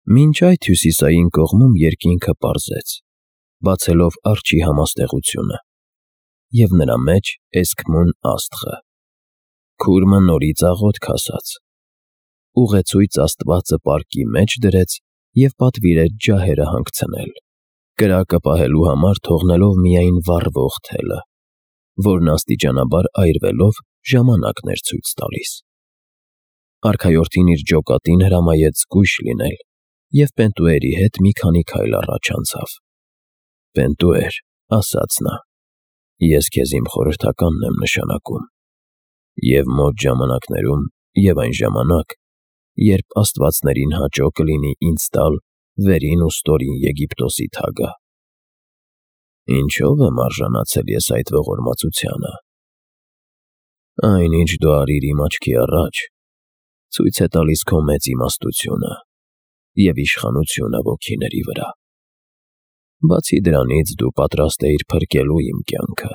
Մինչ այդ հյուսիսային կողմում երկինքը պարզեց, բացելով արջի համաստեղությունը, և նրա մեջ էսքմուն աստղը, քուրմը նորից աղոթք ասաց, ուղեցույց Աստվածը պարկի մեջ դրեց և պատվիրեց ջահերը հանգցնել, կրակը պահելու համար թողնելով միայն վառվող թելը, որն աստիճանաբար այրվելով ժամանակն էր ցույց տալիս։ Արքայորդին իր ջոկատին հրամայեց զգույշ լինել և Պենտուերի հետ մի քանի քայլ առաջ անցավ։ «Պենտուեր», ասաց նա, «ես քեզ իմ խորհրդականն եմ նշանակում, և մոտ ժամանակներում և այն ժամանակ, երբ աստվածներին հաճո կլինի ինձ տալ վերին ու ստորին Եգիպտոսի թագը։ Ինչո՞վ եմ արժանացել ես այդ ողորմածությանը։ Այն, ինչ դու արիր իմ աչքի առաջ, ցույց է տալիս քո մեծ իմաստությունը և իշխանությունը ոգիների վրա։ Բացի դրանից, դու պատրաստ էիր փրկելու իմ կյանքը,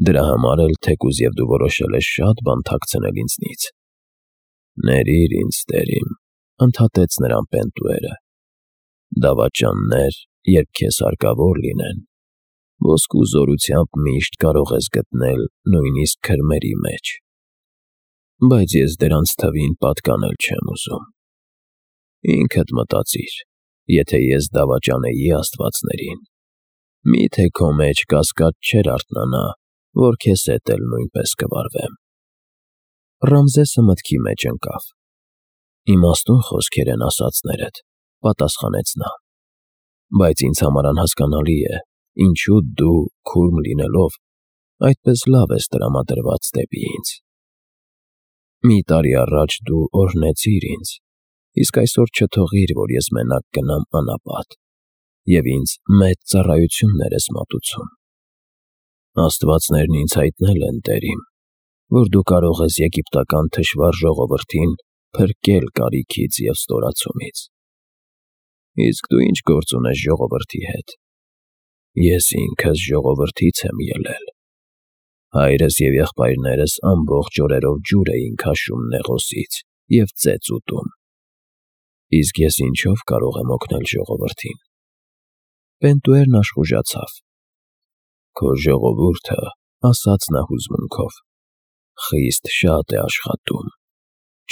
դրա համար էլ թեկուզ և դու որոշել ես շատ բան թաքցնել ինձնից։ Ներիր ինձ, տեր իմ, ընդհատեց նրան Պենտուերը, դավաճաններ, երբ քեզ հարկավոր լինեն, ոսկու զորությամբ միշտ կարող ես գտնել նույնիսկ քրմերի մեջ, բայց ես դրանց թվին պատկանել չեմ ուզում։ Ինքդ մտածիր, եթե ես դավաճանեի աստվածներին, միթե քո մեջ կասկած չէր արթնանա, որ քեզ հետ էլ նույնպես կվարվեմ։ Ռամզեսը մտքի մեջ ընկավ։ Իմաստուն խոսքեր են ասածներդ, պատասխանեց նա, բայց ինձ համար անհասկանալի է, ինչու դու, քուրմ լինելով, այդպես լավ ես տրամադրված դեպի ինձ։ Մի տարի առաջ դու օրհնեցիր ինձ, իսկ այսօր չթողիր, որ ես մենակ գնամ անապատ, և ինձ մեծ ծառայություններ ես մատուցում։ Աստվածներն ինձ հայտնել են, տեր իմ, որ դու կարող ես եգիպտական թշվառ ժողովրդին փրկել կարիքից և ստորացումից։ Իսկ դու ինչ գործ ունես ժողովրդի հետ։ Ես ինքս ժողովրդից եմ ելել։ Հայրս և եղբայրներս ամբողջ օրերով ջուր էին քաշում Նեղոսից և ծեծ ուտում։ Իսկ ես ինչով կարող եմ օգնել ժողովրդին։ Պենտուերն աշխուժացավ։ Քո ժողովուրդը, ասաց նա հուզմունքով, խիստ շատ է աշխատում,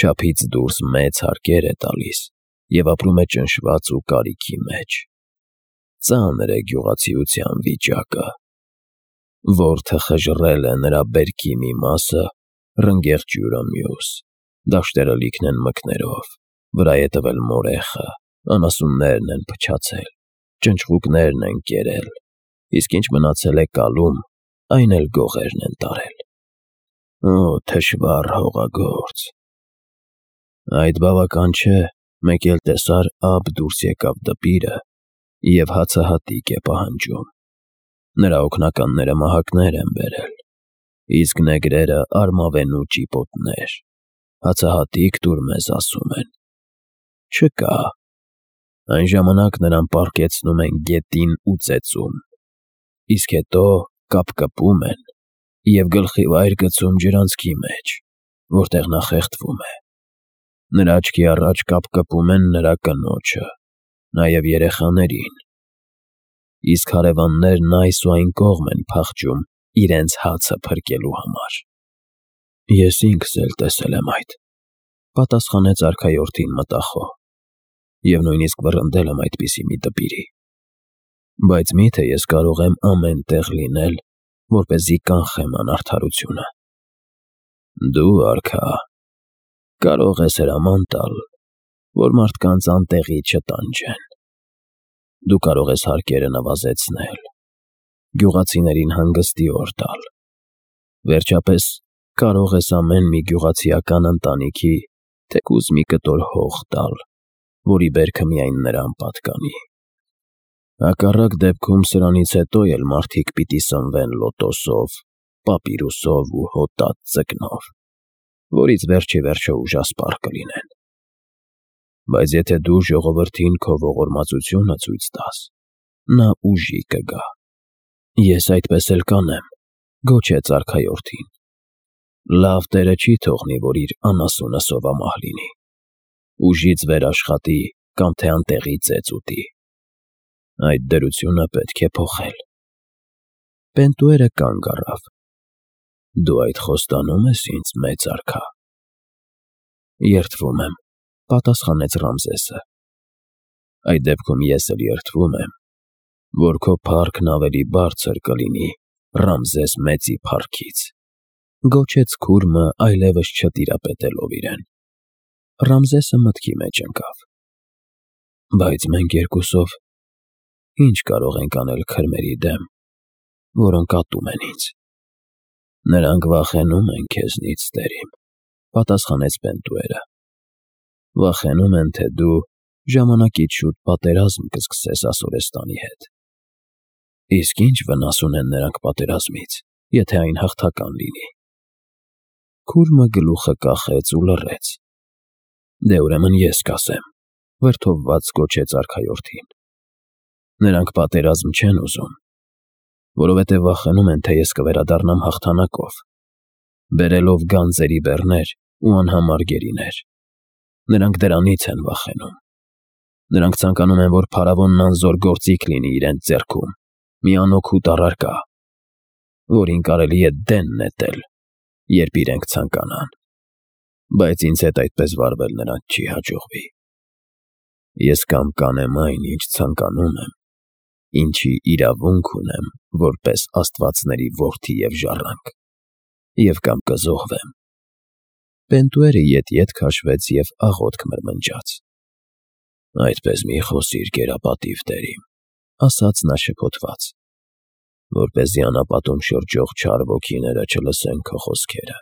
չափից դուրս մեծ հարկեր է տալիս և ապրում է ճնշված ու կարիքի մեջ։ Ծանր է գյուղացիության վիճակը։ Որդը խժռել է նրա բերքի մի մասը, ռնգեղ ջուրը մյուս, դաշտերը լիքն են մկներով, վրա է տվել մորեխը, անասուններն են փչացել, ճնճղուկներն են կերել, իսկ ինչ մնացել է կալում, այն էլ գողերն են տարել։ Օ, թշվառ հողագործ։ Այդ բավական չէ, մեկ էլ տեսար Աբ դուրս եկավ դպիրը և հացահատիկ է պահանջում։ Նրա օգնականները մահակներ են բերել, իսկ նեգրերը արմավենու ճիպոտներ, հացահատիկ տուր մեզ ասում են։ Չկա։ Այն ժամանակ նրան պառկեցնում են գետին ու ծեծում, իսկ հետո կապկպում են և գլխի վայր գցում ջրանցքի մեջ, որտեղ նա խեղդվում է։ Նրա աչքի առաջ կապկպում են նրա կնոջը, նաև երեխաներին, իսկ հարևաններն այս ու այն կողմ են փախչում իրենց հացը փրկելու համար։ Ես ինքս էլ տեսել եմ այդ, պատասխանեց արքայորդին մտախոհ, և նույնիսկ վռնդել եմ այդպիսի մի դպիրի։ Բայց միթե ես կարող եմ ամեն տեղ լինել, որպեսզի կանխեմ անարդարությունը։ Դու, արքա, կարող ես հրաման տալ, որ մարդկանց անտեղի չտանջեն։ Դու կարող ես հարկերը նվազեցնել, գյուղացիներին հանգստի օր տալ։ Վերջապես, կարող ես ամեն մի գյուղացիական ընտանիքի թեկուզ մի կտոր հող տալ, որի բերքը միայն նրան պատկանի։ Հակառակ դեպքում սրանից հետո էլ մարդիկ պիտի սնվեն լոտոսով, պապիրուսով ու հոտած ձկնով, որից վերջիվերջո ուժասպառ կլինեն։ Բայց եթե դու ժողովրդին քո ողորմածությունը ցույց տաս, նա ուժի կգա։ Ես այդպես էլ կանեմ, գոչեց արքայորդին։ Լավ Տերը չի թողնի, որ իր անասունը սովամահ լինի։ Ուժից վեր աշխատի կամ թե անտեղի ծեծ ուտի։ Այդ դրությունը պետք է փոխել։ Պենտուերը կանգ առավ։ Դու այդ խոստանում ես ինձ, մեծ արքա։ Երդվում եմ, պատասխանեց Ռամզեսը։ Այդ դեպքում ես էլ երդվում եմ, որ քո փառքն ավելի բարձր կլինի Ռամզես մեծի փառքից, գոչեց քուրմը այլևս չտիրապետելով իրեն։ Ռամզեսը մտքի մեջ ընկավ։ Բայց մենք երկուսով ինչ կարող ենք անել քրմերի դեմ, որոնք ատում են ինձ։ Նրանք վախենում են քեզնից, տերիմ, պատասխանեց Պենտուերը։ Վախենում են, թե դու ժամանակից շուտ պատերազմ կսկսես Ասորեստանի հետ։ Իսկ ինչ վնաս ունեն նրանք պատերազմից, եթե այն հաղթական լինի։ Քուրմը գլուխը կախեց ու լռեց։ Դե ուրեմն ես կասեմ, վրդովված գոչեց արքայորդին։ Նրանք պատերազմ չեն ուզում, որովհետև վախենում են, թե ես կվերադառնամ հաղթանակով, բերելով գանձերի բեռներ ու անհամար գերիներ։ Նրանք դրանից են վախենում։ Նրանք ցանկանում են, որ փարավոնն անզոր գործիք լինի իրենց ձեռքում, մի անօգուտ առարկա, որին կարելի է դեն նետել, երբ իրենք ցանկանան։ Բայց ինձ հետ այդպես վարվել նրանց չի հաջողվի։ Ես կամ կանեմ այն, ինչ ցանկանում եմ, ինչի իրավունք ունեմ որպես աստվածների որդի և ժառանգ, և կամ կզոհվեմ։ Պենտուերը ետ քաշվեց և աղոթք մրմնջաց։ Այդպես մի խոսիր, գերապատիվ տերիմ, ասաց նա շփոթված, որպեսզի անապատում շրջող չար ոգիները չլսեն քո խոսքերը։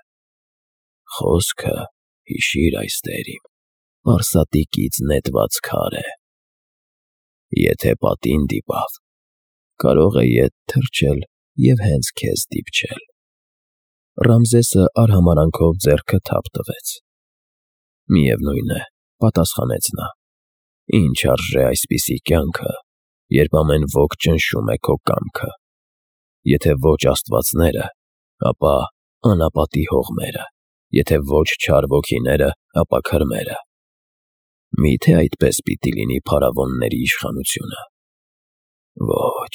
Խոսքը, հիշիր այս տերիմ, պարսատիկից նետված քար է։ Եթե պատին դիպավ, կարող է ետ թռչել և հենց քեզ դիպչել։ Ռամզեսը արհամարանքով ձեռքը թափ տվեց։ Միևնույն է, պատասխանեց նա, ինչ արժե այսպիսի կյանքը, երբ ամեն ոք ճնշում է քո կամքը։ Եթե ոչ աստվածները, ապա անապատի հողմերը, եթե ոչ չար ոգիները, ապա քրմերը։ Միթե այդպես պիտի լինի փարավոնների իշխանությունը։ Ոչ,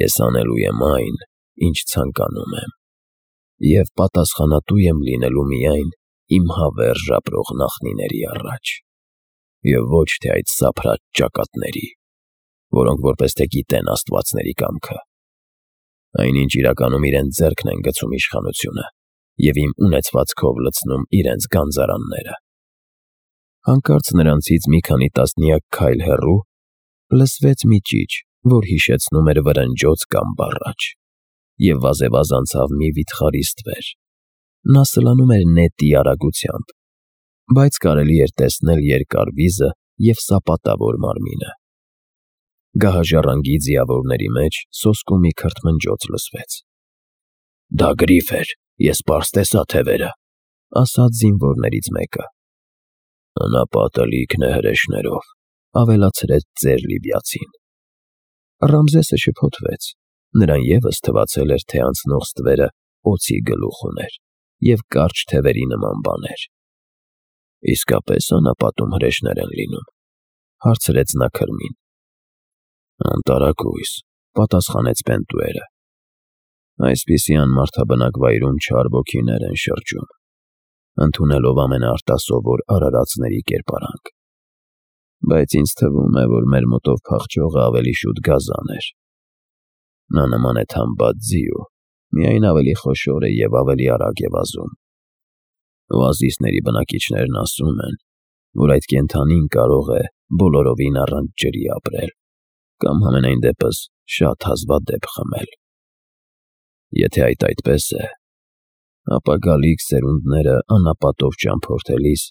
ես անելու եմ այն, ինչ ցանկանում եմ, և պատասխանատու եմ լինելու միայն իմ հավերժ ապրող նախնիների առաջ, և ոչ թե այդ սափրած ճակատների, որոնք որպես թե գիտեն աստվածների կամքը։ Այնինչ իրականում իրենց ձեռքն են գցում իշխանությունը և իմ ունեցվածքով լցնում իրենց գանձարանները։ Հանկարծ նրանցից մի քանի տասնյակ քայլ հեռու լսվեց մի ճիչ, որ հիշեցնում էր վրնջոց կամ բառաչ, և վազևազ անցավ մի վիթխարի ստվեր։ Նա սլանում էր նետի արագությամբ, բայց կարելի էր տեսնել երկար վիզը և սապատավոր մարմինը։ Գահաժառանգի ձիավորների մեջ սոսկու մի քրթմնջոց լսվեց։ Դա գրիֆ էր, ես պարզ տեսա թևերը, ասաց զինվորներից մեկը։ Անապատը լիքն է հրեշներով, ավելացրեց ծեր լիբիացին։ Ռամզեսը շփոթվեց, նրան ևս թվացել էր, թե անցնող ստվերը օձի գլուխ ուներ և կարճ թևերի նման բաներ։ Իսկապես անապատում հրեշներ են լինում, հարցրեց նա քրմին։ Անտարակույս, պատասխանեց Պենտուերը։ Այսպիսի անմարդաբնակ վայրում չար ոգիներ են շրջում, ընդունելով ամենաարտասովոր արարածների կերպարանք։ Բայց ինձ թվում է, որ մեր մոտով փախչողը ավելի շուտ գազան էր։ Նա նման է թամբած ձիու, միայն ավելի խոշոր է և ավելի արագ է վազում։ Օազիսների բնակիչներն ասում են, որ այդ կենդանին կարող է բոլորովին առանց ջրի ապրել, կամ համենայն դեպս շատ հազվադեպ խմել։ Եթե այդպես է, ապա գալիք սերունդները անապատով ճամփորդելիս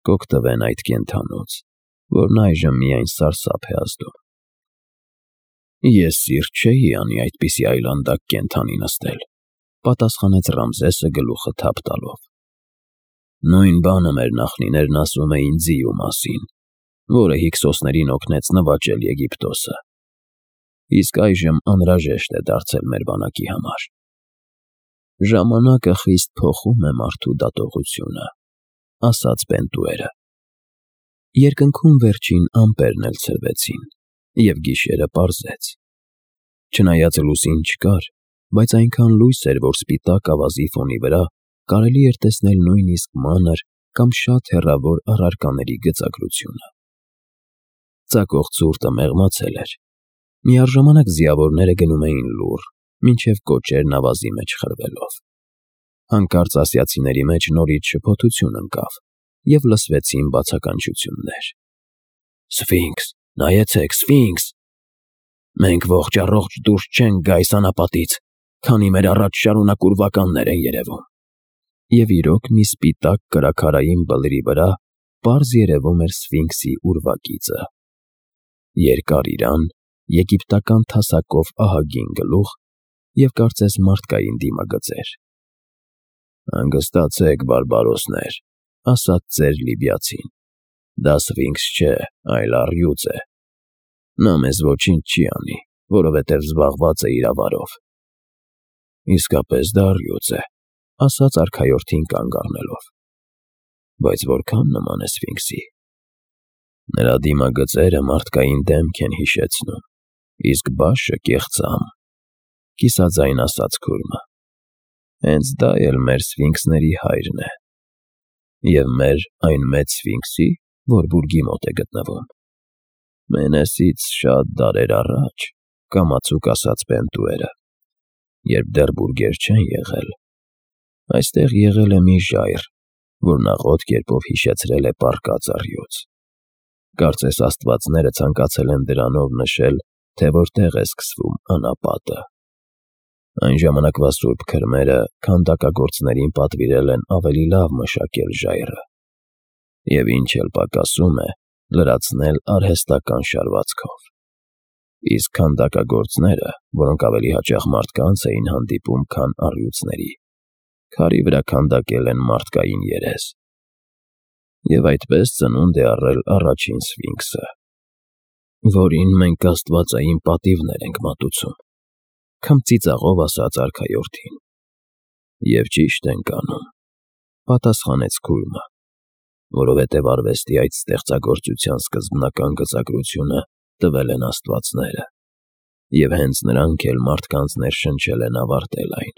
կօգտվեն այդ կենդանուց, որն այժմ միայն սարսափ է ազդում։ Ես սիրտ չէի անի այդպիսի այլանդակ կենդանի նստել, պատասխանեց Ռամզեսը գլուխը թափ տալով։ Նույն բանը մեր նախնիներն ասում էին ձիու մասին, որը հիկսոսներին օգնեց նվաճել Եգիպտոսը։ Իսկ այժմ անհրաժեշտ է դարձել մեր բանակի համար։ Ժամանակը խիստ փոխում է մարդու դատողությունը, ասաց Պենտուերը։ Երկնքում վերջին ամպերն էլ ցրվեցին, և գիշերը պարզեց։ Չնայած լուսին չկար, բայց այնքան լույս էր, որ սպիտակ ավազի ֆոնի վրա կարելի էր տեսնել նույնիսկ մանր կամ շատ հեռավոր առարկաների գծագրությունը։ Ծակող ցուրտը մեղմացել էր։ Միառժամանակ ձիավորները գնում էին լուռ, մինչև կոճերն ավազի մեջ խրվելով։ Հանկարծ ասիացիների մեջ նորից շփոթություն ընկավ, և լսվեցին բացականչություններ. «Սֆինքս, նայեցեք, Սֆինքս… Մենք ողջ առողջ դուրս չենք գա այս անապատից, քանի մեր առաջ շարունակ ուրվականներ են երևում»։ Եվ իրոք մի սպիտակ կրաքարային բլրի վրա պարզ երևում էր Սֆինքսի ուրվագիծը։ Երկար իրան, եգիպտական թասակով ահագին գլուխ և կարծես մարդկային դիմագծեր։ «Հանգստացեք, բարբարոսներ», ասաց ծեր Լիբիացին, «դա Սֆինքս չէ, այլ առյուծ է։ Նա մեզ ոչինչ չի անի, որովհետև զբաղված է իր ավարով»։ «Իսկապես դա առյուծ է», ասաց արքայորդին կանգ առնելով, «բայց որքան նման է Սֆինքսի»։ «Նրա դիմագծերը մարդկային դեմք են հիշեցնում, իսկ բաշը կեղծամ», կիսաձայն ասաց քուրմը։ «Հենց դա էլ մեր Սֆինքսների հայրն է»։ «Եվ մեր այն մեծ Սֆինքսի, որ բուրգի մոտ է գտնվում»։ «Մենեսից շատ դարեր առաջ», կամացուկ ասաց Պենտուերը, «երբ դեռ բուրգեր չեն եղել, այստեղ եղել է մի ժայռ, որն աղոտ կերպով հիշեցրել է պառկած առյուծ։ Կարծես աստվածները ցանկացել են դրանով նշել, թե որտեղ է սկսվում անապատը։ Այն ժամանակվա սուրբ քրմերը քանդակագործներին պատվիրել են ավելի լավ մշակել ժայռը և, ինչ էլ պակասում է, լրացնել արհեստական շարվածքով։ Իսկ քանդակագործները, որոնք ավելի հաճախ մարդկանց էին հանդիպում, քան առյուծների, քարի վրա քանդակել են մարդկային երես։ Եվ այդպես ծնունդ է առել առաջին Սֆինքսը, որին մենք աստվածային պատիվներ ենք մատուցում», քմծիծաղով ասաց արքայորդին։ «Եվ ճիշտ ենք անում», պատասխանեց քուրմը, «որովհետև արվեստի այդ ստեղծագործության սկզբնական գծագրությունը տվել են աստվածները, և հենց նրանք էլ մարդկանց ներշնչել են ավարտել այն։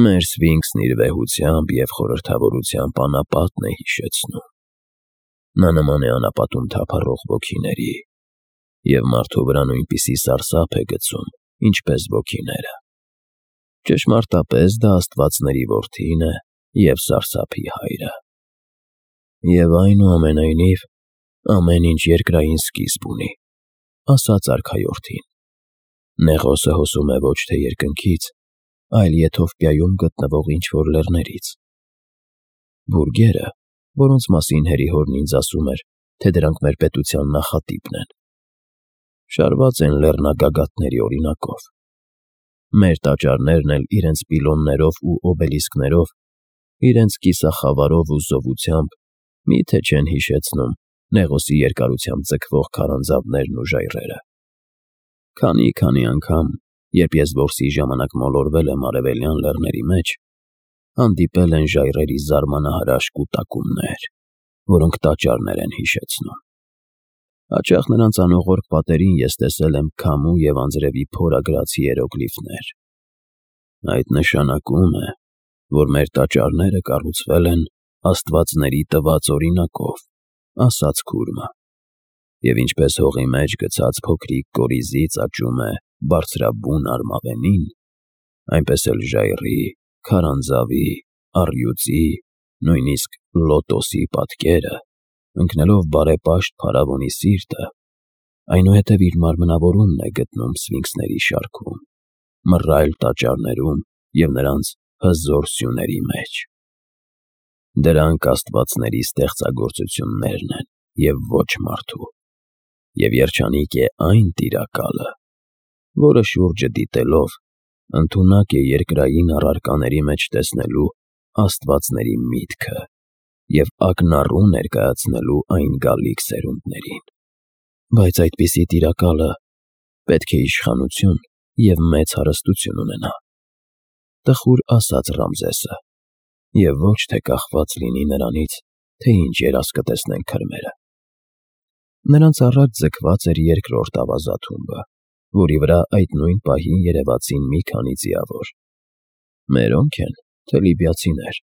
Մեր Սֆինքսն իր վեհությամբ և խորհրդավորությամբ անապատն է հիշեցնում։ Նա նման է անապատում թափառող ոգիների, և մարդու վրա նույնպիսի սարսափ է գցում, ինչպես ոգիները։ Ճշմարտապես դա աստվածների որդին է և սարսափի հայրը։ Եվ այնուամենայնիվ, ամեն ինչ երկրային սկիզբ ունի», ասաց արքայորդին։ «Նեղոսը հոսում է ոչ թե երկնքից, այլ Եթովպիայում գտնվող ինչ-որ լեռներից։ Բուրգերը, որոնց մասին հերիհորն ինձ ասում էր, թե դրանք մեր պետության նախատիպն են, շարված են լեռնագագաթների օրինակով։ Մեր տաճարներն էլ իրենց պիլոններով ու օբելիսկներով, իրենց կիսախավարով ու զովությամբ մի՞թե չեն հիշեցնում Նեղոսի երկարությամբ ձգվող քարանձավներն ու ժայռերը։ Քանի անգամ, երբ ես որսի ժամանակ մոլորվել եմ արևելյան լեռների մեջ, հանդիպել են ժայռերի զարմանահրաշ կուտակումներ, որոնք տաճարներ են հիշեցնում։ Հաճախ նրանց անողորկ պատերին ես տեսել եմ քամու և անձրևի փորագրած հիերոգլիֆներ։ Այդ նշանակում է, որ մեր տաճարները կառուցվել են աստվածների տված օրինակով», ասաց քուրմը։ «Եվ ինչպես հողի մեջ գցած փոքրիկ կորիզից աճում է բարձրաբուն արմավենին, այնպես էլ ժայռի, քարանձավի, առյուծի, նույնիսկ լոտոսի պատկերը, ընկնելով բարեպաշտ փարավոնի սիրտը, այնուհետև իր մարմնավորումն է գտնում Սֆինքսների շարքում, մռայլ տաճարներում և նրանց հզոր սյուների մեջ։ Դրանք աստվածների ստեղծագործություններն են և ոչ մարդու, և երջանիկ է այն տիրակալը, որը շուրջը դիտելով ընդունակ է երկրային առարկաների մեջ տեսնելու աստվածների միտքը և ակնառու ներկայացնելու այն գալիք սերունդներին։ Բայց այդպիսի տիրակալը պետք է իշխանություն և մեծ հարստություն ունենա», տխուր ասաց Ռամզեսը, «և ոչ թե կախված լինի նրանից, թե ինչ երազ կտեսնեն քրմերը։ Նրանց առաջ ձգված էր երկրորդ ավազաթումբը, որի վրա այդ նույն պահին երևացին մի քանի ձիավոր։ «Մերոնք են, թե լիբիացիներ»,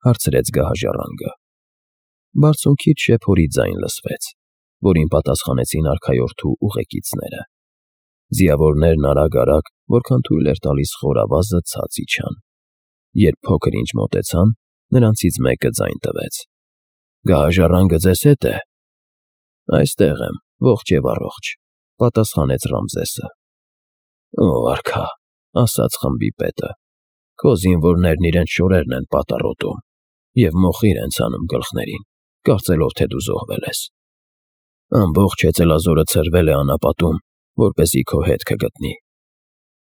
հարցրեց գահաժառանգը։ Բարձունքից շեփորի ձայն լսվեց, որին պատասխանեցին արքայորդու ուղեկիցները։ Ձիավորներն արագ, որքան թույլ էր տալիս խորավազը, ցած իջան։ Երբ փոքր-ինչ մոտեցան, նրանցից մեկը ձայն տվեց. «Գահաժառանգը ձեզ հետ է»։ «Այստեղ եմ, ողջ և առողջ», պատասխանեց Ռամզեսը։ «Ո արքա», ասաց խմբի պետը, «քո զինվորներն իրենց շորերն են պատառոտում և մոխիր են ցանում գլխներին, կարծելով, թե դու զոհվել ես։ Ամբողջ հեծելազորը ցրվել է անապատում, որպեսզի քո հետքը գտնի։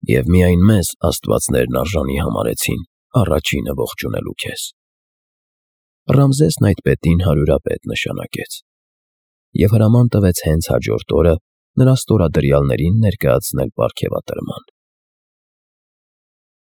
Եվ միայն մեզ աստվածներն արժանի համարեցին առաջինը ողջունելու քեզ»։ Ռամզեսն այդ պետին հարյուրապետ նշանակեց և հրաման տվեց հենց հաջորդ օրը նրա ստորադրյալներին ներկայացնել պարգևատրման։